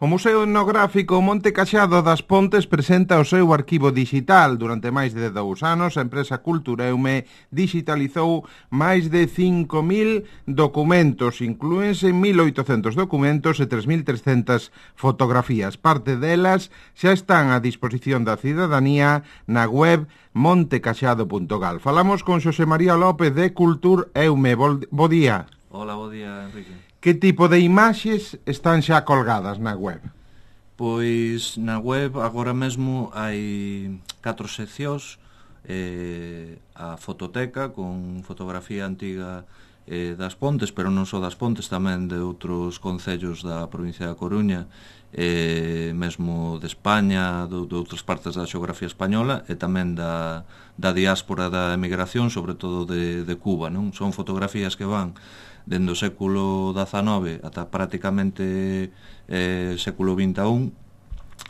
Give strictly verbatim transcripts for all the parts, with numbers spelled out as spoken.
O Museo Etnográfico Monte Caxado das Pontes presenta o seu arquivo digital. Durante máis de dous anos, a empresa Cultureume digitalizou máis de cinco mil documentos, inclúense mil oitocentos documentos e tres mil trescentas fotografías. Parte delas xa están a disposición da cidadanía na web montecaxado punto gal. Falamos con Xosé María López de Cultureume. Bo día. Hola, bo día, Enrique. Que tipo de imaxes están xa colgadas na web? Pois na web agora mesmo hai catro seccións, eh, a fototeca con fotografía antiga eh, das Pontes, pero non só das Pontes, tamén de outros concellos da provincia da Coruña, eh, mesmo de España, de, de outras partes da xeografía española e tamén da, da diáspora da emigración, sobre todo de, de Cuba, non? Son fotografías que van dende o século dezanove ata prácticamente eh, século vinte e un,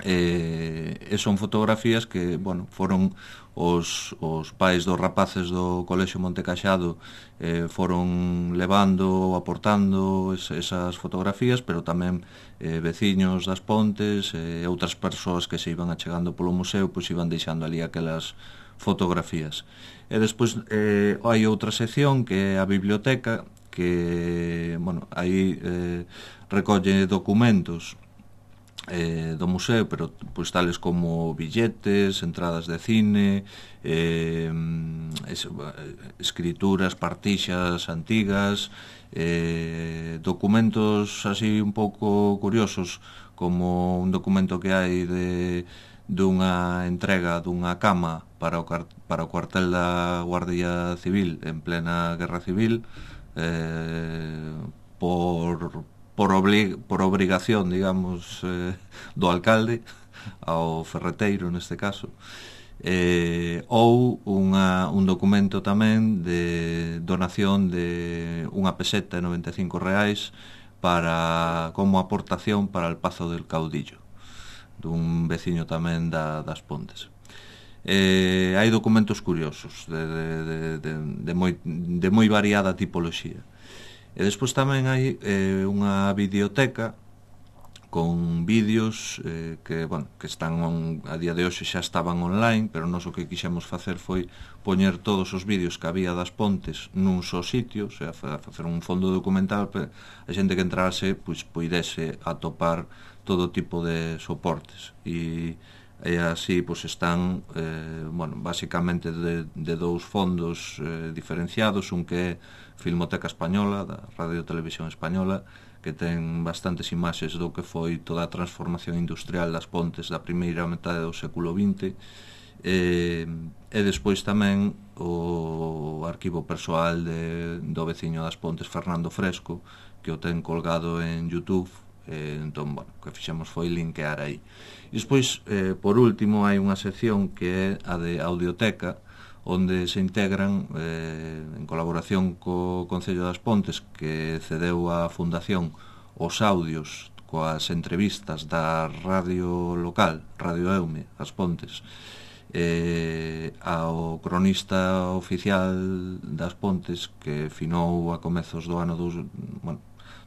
eh, e son fotografías que, bueno, foron os, os pais dos rapaces do Colexio Monte Caxado eh, foron levando, aportando es, esas fotografías, pero tamén eh, veciños das Pontes e eh, outras persoas que se iban achegando polo museo, pois iban deixando ali aquelas fotografías. E despois eh, hai outra sección que é a biblioteca, que, bueno, aí eh, recolle documentos eh, do museo, pero pois tales como billetes, entradas de cine, eh, es, escrituras, partixas antigas, eh, documentos así un pouco curiosos, como un documento que hai de dunha entrega dunha cama para o, para o cuartel da Guardia Civil en plena Guerra Civil, Eh, por por, oblig, por obrigación, digamos, eh, do alcalde ao ferreteiro neste caso, eh, ou unha, un documento tamén de donación de unha peseta de noventa e cinco reais para, como aportación para el Pazo del Caudillo, dun veciño tamén da, das Pontes. Eh, hai documentos curiosos de, de, de, de, de, moi, de moi variada tipoloxía, e despois tamén hai eh, unha videoteca con vídeos eh, que, bueno, que están on, a día de hoxe xa estaban online, pero nós o que quixemos facer foi poñer todos os vídeos que había das Pontes nun só sitio, o sea, facer un fondo documental para a xente que entrase pois poidese atopar todo tipo de soportes, e e así pois están eh, bueno, basicamente de, de dous fondos eh, diferenciados, un que é Filmoteca Española da Radio Televisión Española, que ten bastantes imaxes do que foi toda a transformación industrial das Pontes da primeira metade do século vinte, e, e despois tamén o arquivo persoal de, do veciño das Pontes, Fernando Fresco, que o ten colgado en YouTube. Eh, entón, bueno, o que fixemos foi linkear aí. E despois, eh, por último, hai unha sección que é a de audioteca, onde se integran, eh, en colaboración co Concello das Pontes, que cedeu á Fundación os audios coas entrevistas da radio local, Radio Eume, as Pontes, eh, ao cronista oficial das Pontes, que finou a comezos do ano dos, bueno,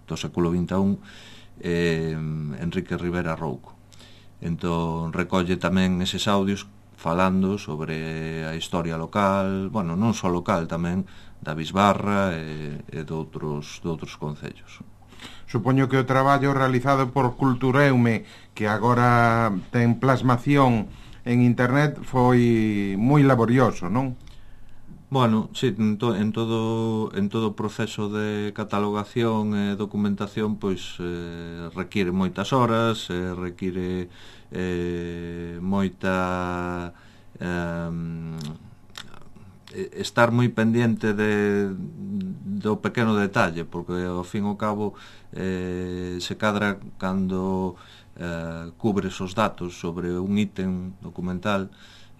do século vinte e un, eh, Enrique Rivera Rouco. Entón recolle tamén eses audios falando sobre a historia local, bueno, non só local, tamén da Bisbarra e, e de outros, de outros concellos. Supoño que o traballo realizado por Cultureume, que agora ten plasmación en internet, foi moi laborioso, non? Bueno, sí, en, to, en todo en todo o proceso de catalogación e documentación, pois eh, require moitas horas, eh, require eh, moita eh, estar moi pendiente de, do pequeno detalle, porque ao fin e ao cabo eh, se cadra cando eh, cubres os datos sobre un ítem documental.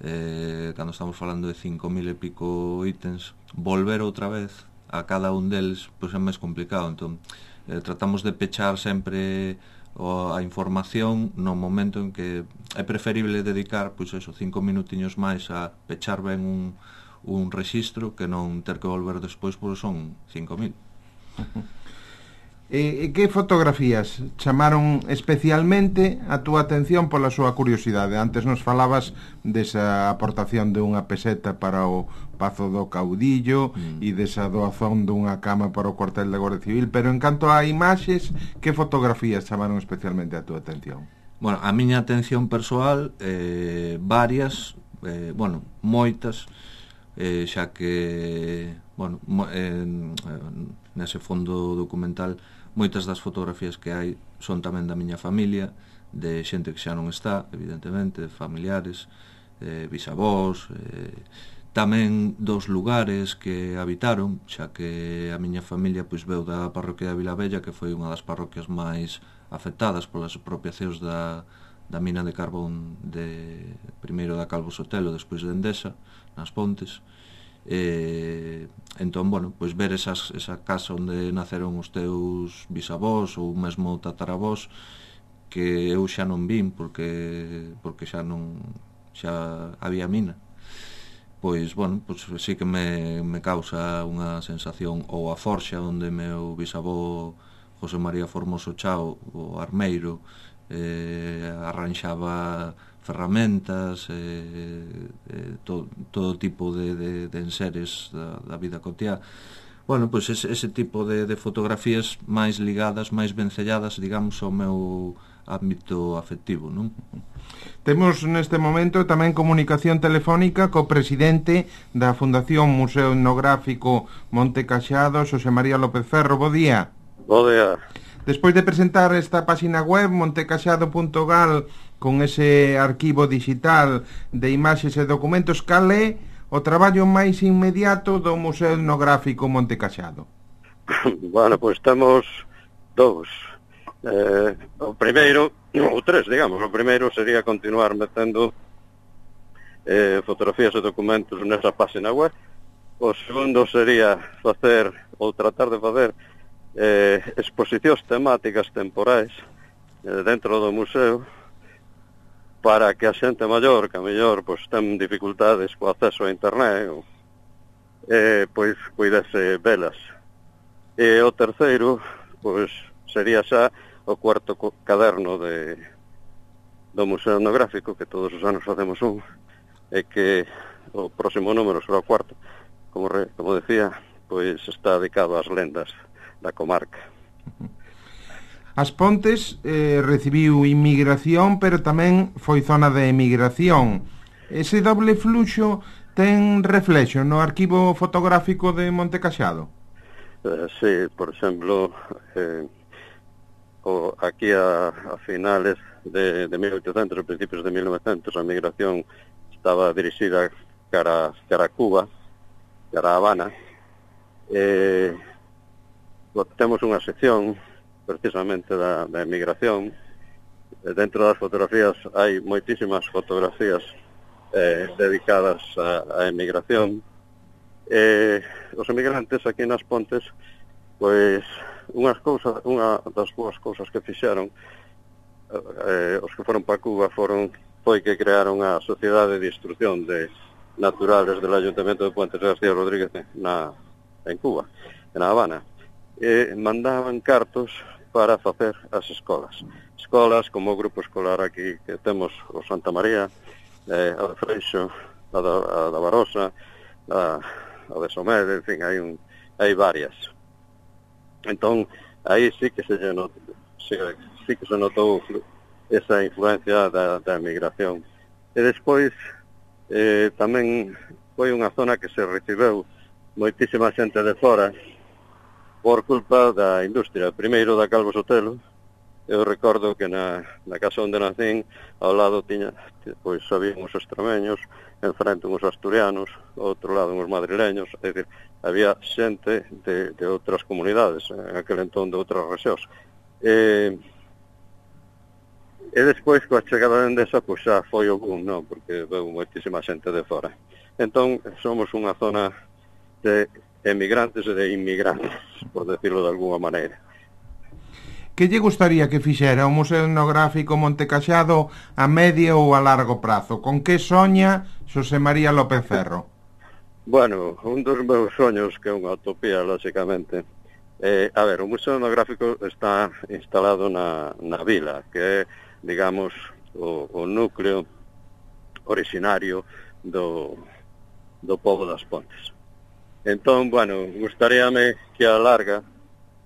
Eh, cando estamos falando de cinco mil e pico ítems, volver outra vez a cada un deles pois é máis complicado. Entón eh, tratamos de pechar sempre o, a información no momento en que é preferible dedicar pois eso, cinco minutiños máis a pechar ben un, un rexistro que non ter que volver despois, pois son cinco mil. E, e que fotografías chamaron especialmente a túa atención pola súa curiosidade? Antes nos falabas desa aportación de unha peseta para o Pazo do Caudillo mm. e desa doazón dunha cama para o cuartel da Guardia Civil, pero en canto a imaxes, que fotografías chamaron especialmente a túa atención? Bueno, a miña atención persoal, eh, varias, eh, bueno, moitas, eh, xa que, bueno, mo, eh, nese fondo documental moitas das fotografías que hai son tamén da miña familia, de xente que xa non está, evidentemente, familiares, eh, bisavós, eh, tamén dos lugares que habitaron, xa que a miña familia pois veu da parroquia de Vilavella, que foi unha das parroquias máis afectadas polas expropiacións da, da mina de carbón de primeiro da Calvo Sotelo, despois de Endesa, nas Pontes. Eh, entón, bueno, pois ver esas, esa casa onde naceron os teus bisavós ou mesmo tataravós, que eu xa non vin porque porque xa non xa había mina, pois, bueno, pois sí que me, me causa unha sensación. Ou a forxa onde meu bisavó José María Formoso Chao, o armeiro, eh, arranxaba ferramentas, eh, eh, to, todo tipo de, de, de enseres da, da vida cotiá. Bueno, pois ese, ese tipo de, de fotografías máis ligadas, máis vencelladas, digamos, ao meu ámbito afectivo, non? Temos neste momento tamén comunicación telefónica co presidente da Fundación Museo Etnográfico Monte Caxado, Xosé María López Ferro. Bo día. Bo día. Despois de presentar esta página web, montecaxado punto gal, con ese arquivo digital de imaxes e documentos, cal é o traballo máis inmediato do Museo Etnográfico Monte Caxado? Bueno, pois temos dous. Eh, o primeiro, ou tres, digamos, o primeiro sería continuar metendo eh, fotografías e documentos nesa página web. O segundo sería facer, ou tratar de facer, eh, exposicións temáticas temporais eh, dentro do museo, para que a xente maior, que a mellor pois, ten dificultades co acceso a internet, ou, eh, pois puidese velas. E o terceiro, pois sería xa o cuarto caderno de, do Museo Etnográfico, que todos os anos facemos un, e que o próximo número será o cuarto, como, re, como decía, pois está dedicado ás lendas da comarca. As Pontes eh, recibiu inmigración, pero tamén foi zona de emigración. Ese doble fluxo ten reflexo no arquivo fotográfico de Monte Caxado? Eh, sí, por exemplo, eh, o, aquí a, a finales de, de mil oitocentos e principios de mil novecentos, a migración estaba dirixida cara, cara a Cuba, cara a Habana. Eh, temos unha sección precisamente da, da emigración. Dentro das fotografías hai moitísimas fotografías eh, dedicadas á emigración. Eh, os emigrantes aquí nas Pontes, pois unhas cousas, unha das boas cousas que fixeron eh, os que foron para Cuba foron foi que crearon a Sociedade de Instrucción de Naturales del Ayuntamiento de Puentes de García Rodríguez na, en Cuba, en La Habana. E mandaban cartos para facer as escolas. Escolas como o grupo escolar aquí que temos o Santa María, eh, a de Freixo, a da, a da Barosa, a, a de Somede, en fin, hai, un, hai varias. Entón, aí sí que se notou, sí, sí que se notou esa influencia da, da emigración. E despois, eh, tamén foi unha zona que se recibeu moitísima xente de fora, por culpa da industria. Primeiro da Calvo Sotelo, eu recordo que na, na casa onde nacín, ao lado tiña, pois había uns extremeños, enfrente uns asturianos, ao outro lado uns madrileños, é dicir, había xente de, de outras comunidades, en aquel entón de outras rexións. E, e despois, coa chegada de Endesa, pois xa foi o boom, non? Porque veu moitísima xente de fora. Entón, somos unha zona de emigrantes e de inmigrantes, por decirlo de alguna maneira. Que lle gustaría que fixera o Museo Etnográfico Monte Caxado a medio ou a largo prazo? Con que soña Xosé María López Ferro? Bueno, un dos meus soños, que é unha utopía, lógicamente, Eh, a ver, o Museo Etnográfico está instalado na, na vila, que é, digamos, o, o núcleo originario do, do pobo das Pontes. Entón, bueno, gustaríame que a larga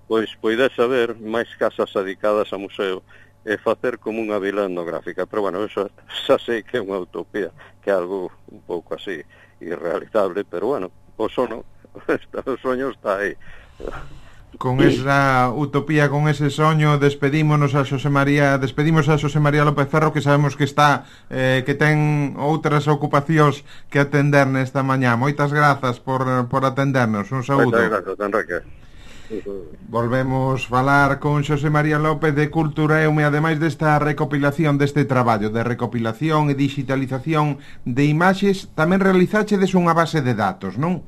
pois poidese haber máis casas dedicadas ao museo e facer como unha vila etnográfica, pero bueno, eso xa sei que é unha utopía, que é algo un pouco así irrealizable, pero bueno, o sono, o soño está aí. Con esa utopía, con ese soño, despedímonos a Xosé María, despedimos a Xosé María López Ferro, que sabemos que está eh, que ten outras ocupacións que atender nesta mañá. Moitas grazas por, por atendernos. Un saúdo. Moitas grazas, Enrique. Volvemos falar con Xosé María López de Cultureum e ademais desta recopilación deste traballo de recopilación e digitalización de imaxes, tamén realizachedes unha base de datos, non?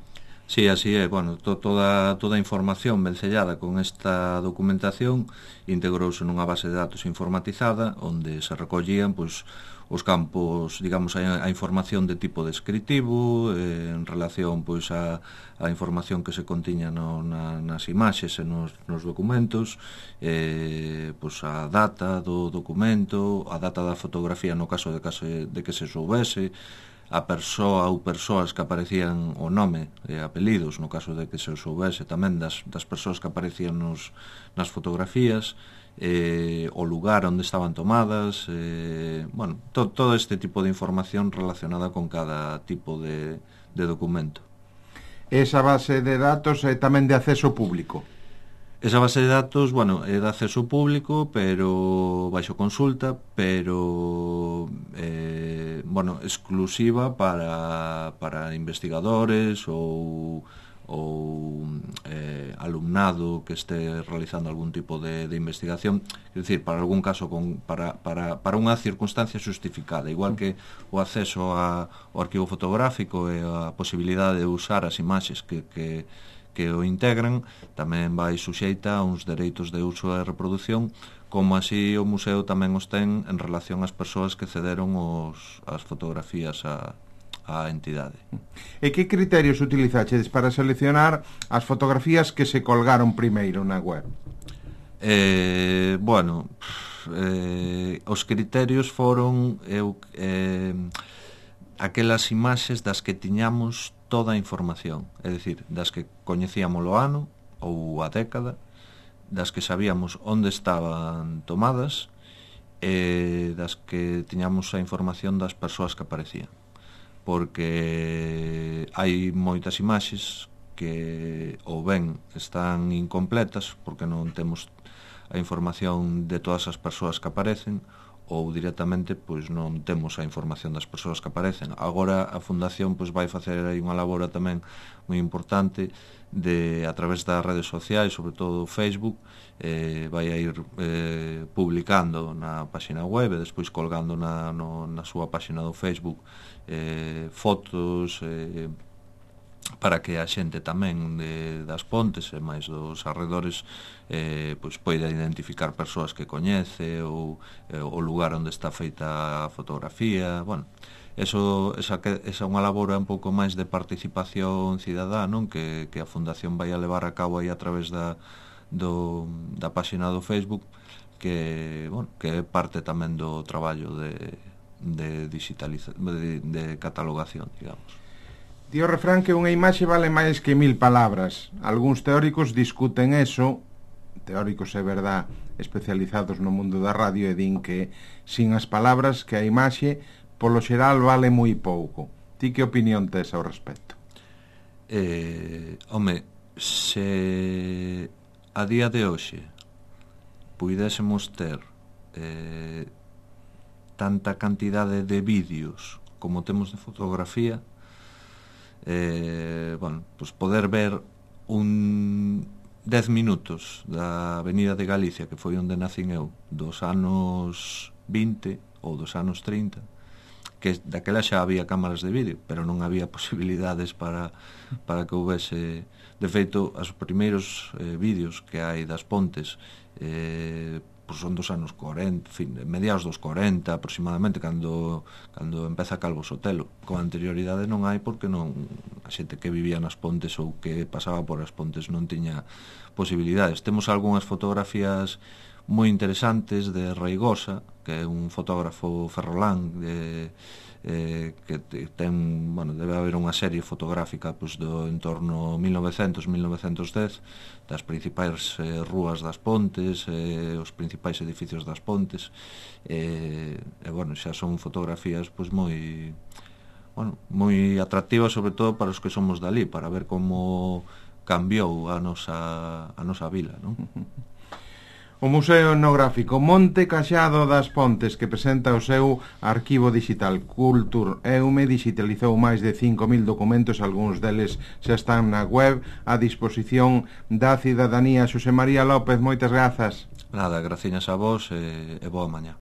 Sí, así é, bueno, to, toda, toda a información vencellada con esta documentación integrouse nunha base de datos informatizada onde se recollían pois, os campos, digamos, a, a información de tipo descritivo eh, en relación pois a, a información que se contiña no, na, nas imaxes e nos, nos documentos, eh, pois a data do documento, a data da fotografía no caso de, caso de que se soubese, a persoa ou persoas que aparecían o nome e apelidos no caso de que se soubese tamén das, das persoas que aparecían nos, nas fotografías, eh, o lugar onde estaban tomadas, eh, bueno, to, todo este tipo de información relacionada con cada tipo de, de documento. Esa base de datos é tamén de acceso público? Esa base de datos, bueno, é de acceso público, pero baixo consulta, pero eh, bueno, exclusiva para, para investigadores ou, ou eh, alumnado que este realizando algún tipo de, de investigación, é dicir, para algún caso con, para, para, para unha circunstancia justificada, igual que o acceso a, ao arquivo fotográfico e a posibilidade de usar as imaxes que, que que o integran, tamén vai suxeita a uns dereitos de uso e reproducción, como así o museo tamén os ten en relación ás persoas que cederon os, as fotografías a, a entidade. E que criterios utilizachedes para seleccionar as fotografías que se colgaron primeiro na web? Eh, bueno, eh, os criterios foron eu, eh, aquelas imaxes das que tiñamos toda a información, é dicir, das que coñecíamos o ano ou a década, das que sabíamos onde estaban tomadas e das que tiñamos a información das persoas que aparecían, porque hai moitas imaxes que ou ben están incompletas porque non temos a información de todas as persoas que aparecen, ou directamente pois non temos a información das persoas que aparecen. Agora a Fundación pois vai facer aí unha labora tamén moi importante de a través das redes sociais, sobre todo Facebook, eh, vai a ir eh, publicando na página web e despois colgando na, no, na súa página do Facebook eh, fotos eh, para que a xente tamén de, das Pontes e máis dos arredores eh, pois poida identificar persoas que coñece ou eh, o lugar onde está feita a fotografía. Bueno, eso, esa, esa é unha labora un pouco máis de participación cidadá, non? Que, que a Fundación vai a levar a cabo aí a través da, do, da páxina do Facebook, que, bueno, que é parte tamén do traballo de, de digitalización, de, de catalogación, digamos. Di o refrán que unha imaxe vale máis que mil palabras. Algúns teóricos discuten eso, teóricos é verdad especializados no mundo da radio, e din que sin as palabras que a imaxe polo xeral vale moi pouco. Ti que opinión tes ao respecto? Eh, home, se a día de hoxe puidésemos ter eh, tanta cantidade de vídeos como temos de fotografía, Eh, bueno, pues poder ver un dez minutos da Avenida de Galicia, que foi onde nacín eu, dos anos vinte ou dos anos trinta, que daquela xa había cámaras de vídeo, pero non había posibilidades para, para que houvese. De feito, os primeiros eh, vídeos que hai das Pontes eh, pues son dos anos corenta, fin, mediados dos corenta aproximadamente, cando cando empeza Calvo Sotelo. Con anterioridade non hai, porque non, a xente que vivía nas Pontes ou que pasaba por as Pontes non tiña posibilidades. Temos algunhas fotografías moi interesantes de Reigosa, que é un fotógrafo ferrolán de, eh, que ten, bueno, debe haber unha serie fotográfica pues, do entorno mil novecentos a mil novecentos dez das principais eh, rúas das Pontes, eh, os principais edificios das Pontes, eh, e bueno, xa son fotografías pues, moi bueno, moi atractivas, sobre todo para os que somos dali, para ver como cambiou a nosa, a nosa vila, non? O Museo Etnográfico Monte Caxado das Pontes, que presenta o seu arquivo digital Cultureume, digitalizou máis de cinco mil documentos, algúns deles xa están na web a disposición da cidadanía. Xosé María López, moitas grazas. Nada, graciñas a vos e, e boa mañá.